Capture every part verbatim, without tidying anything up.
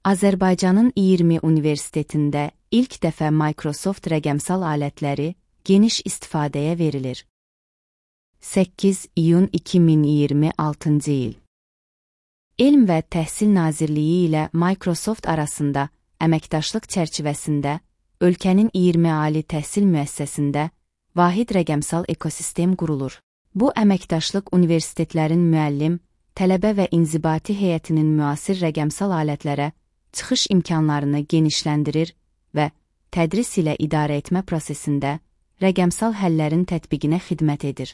Azərbaycanın iyirmi universitetində ilk dəfə Microsoft rəqəmsal alətləri geniş istifadəyə verilir. səkkiz iyun iki min iyirmi altıncı il. Elm və Təhsil Nazirliyi ilə Microsoft arasında əməkdaşlıq çərçivəsində ölkənin iyirmi ali təhsil müəssisəsində vahid rəqəmsal ekosistem qurulur. Bu əməkdaşlıq universitetlərin müəllim, tələbə və inzibati heyətinin müasir rəqəmsal alətlərə çıxış imkanlarını genişləndirir və tədris ilə idarə etmə prosesində rəqəmsal həllərin tətbiqinə xidmət edir.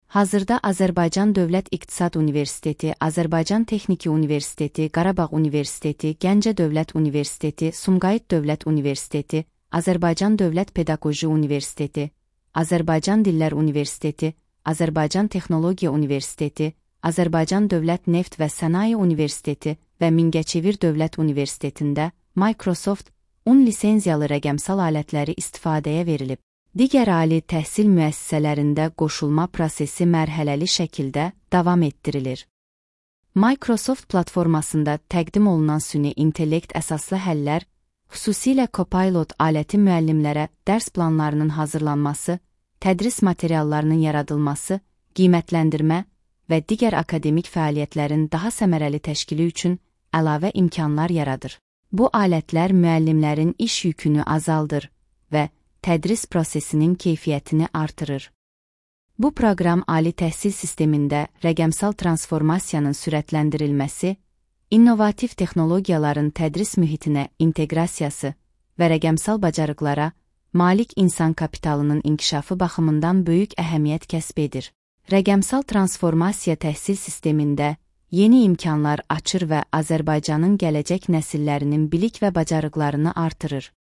Hazırda Azərbaycan Dövlət İqtisad Universiteti, Azərbaycan Texniki Universiteti, Qarabağ Universiteti, Gəncə Dövlət Universiteti, Sumqayıt Dövlət Universiteti, Azərbaycan Dövlət Pedaqoji Universiteti, Azərbaycan Dillər Universiteti, Azərbaycan Texnologiya Universiteti, Azərbaycan Dövlət Neft və Sənaye Universiteti və Mingəçevir Dövlət Universitetində Microsoft on lisenziyalı rəqəmsal alətləri istifadəyə verilib. Digər ali təhsil müəssisələrində qoşulma prosesi mərhələli şəkildə davam etdirilir. Microsoft platformasında təqdim olunan süni intellekt əsaslı həllər, xüsusilə Copilot aləti müəllimlərə dərs planlarının hazırlanması, tədris materiallarının yaradılması, qiymətləndirmə və digər akademik fəaliyyətlərin daha səmərəli təşkili üçün əlavə imkanlar yaradır. Bu alətlər müəllimlərin iş yükünü azaldır və tədris prosesinin keyfiyyətini artırır. Bu proqram ali təhsil sistemində rəqəmsal transformasiyanın sürətləndirilməsi, innovativ texnologiyaların tədris mühitinə inteqrasiyası və rəqəmsal bacarıqlara malik insan kapitalının inkişafı baxımından böyük əhəmiyyət kəsb edir. Rəqəmsal transformasiya təhsil sistemində yeni imkanlar açır və Azərbaycanın gələcək nəsillərinin bilik və bacarıqlarını artırır.